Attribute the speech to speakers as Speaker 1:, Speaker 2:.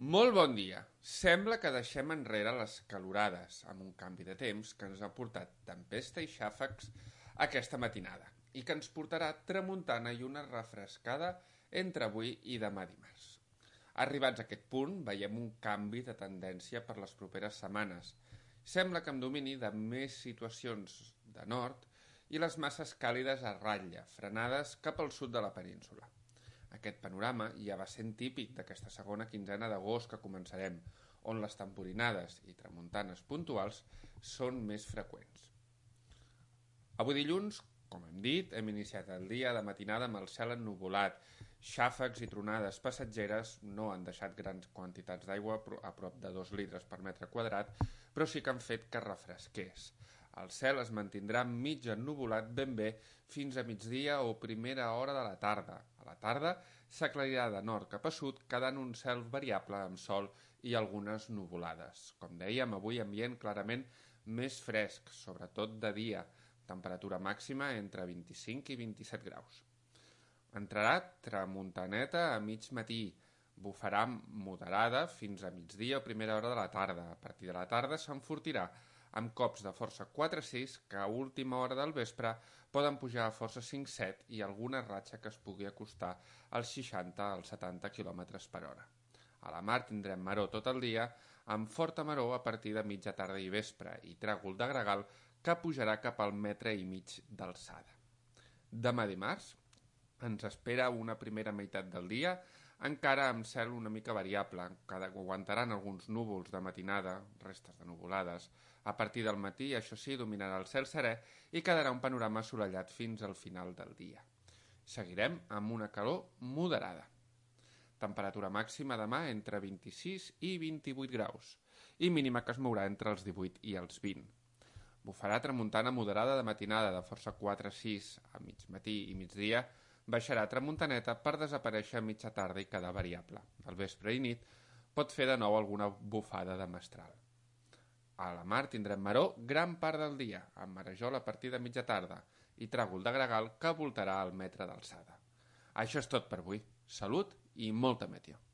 Speaker 1: Molt bon dia. Sembla que deixem enrere les calorades amb un canvi de temps que ens ha portat tempesta i xàfecs aquesta matinada i que ens portarà tramuntana i una refrescada entre avui i demà dimarts. Arribats a aquest punt, veiem un canvi de tendència per les properes setmanes. Sembla que amb domini de més situacions de nord i les masses càlides a ratlla, frenades cap al sud de la península. Aquest panorama ja va sent típic d'aquesta segona quinzena d'agost que començarem, on les temporinades i tramuntanes puntuals són més freqüents. Avui dilluns, com hem dit, hem iniciat el dia de matinada amb el cel ennuvolat. Xàfecs i tronades passatgeres no han deixat grans quantitats d'aigua, a prop de 2 litres per metre quadrat, però sí que han fet que refresqués. El cel es mantindrà mig ennuvolat ben bé fins a migdia o primera hora de la tarda. A la tarda s'aclarirà de nord cap a sud, quedant un cel variable amb sol i algunes nuvolades. Com dèiem, avui ambient clarament més fresc, sobretot de dia, temperatura màxima entre 25 i 27 graus. Entrarà tramuntaneta a mig matí, bufarà moderada fins a migdia o primera hora de la tarda. A partir de la tarda s'enfortirà amb cops de força 4-6 que a última hora del vespre poden pujar a força 5-7 i alguna ratxa que es pugui acostar als 60 als 70 km per hora. A la mar tindrem maror tot el dia, amb forta maror a partir de mitja tarda i vespre i tràgol de gregal que pujarà cap al metre i mig d'alçada. Demà dimarts ens espera una primera meitat del dia encara amb cel una mica variable, que aguantaran alguns núvols de matinada, restes de nuvolades. A partir del matí, això sí, dominarà el cel serè i quedarà un panorama assolellat fins al final del dia. Seguirem amb una calor moderada. Temperatura màxima demà entre 26 i 28 graus i mínima que es mourà entre els 18 i els 20. Bufarà tramuntana moderada de matinada de força 4-6 a mig matí i migdia, baixarà tramuntaneta per desaparèixer a mitja tarda i quedar variable. Al vespre i nit pot fer de nou alguna bufada de mestral. A la mar tindrem maror gran part del dia, amb marejol a partir de mitja tarda i tràgol de gregal que voltarà al metre d'alçada. Això és tot per avui. Salut i molta meteo.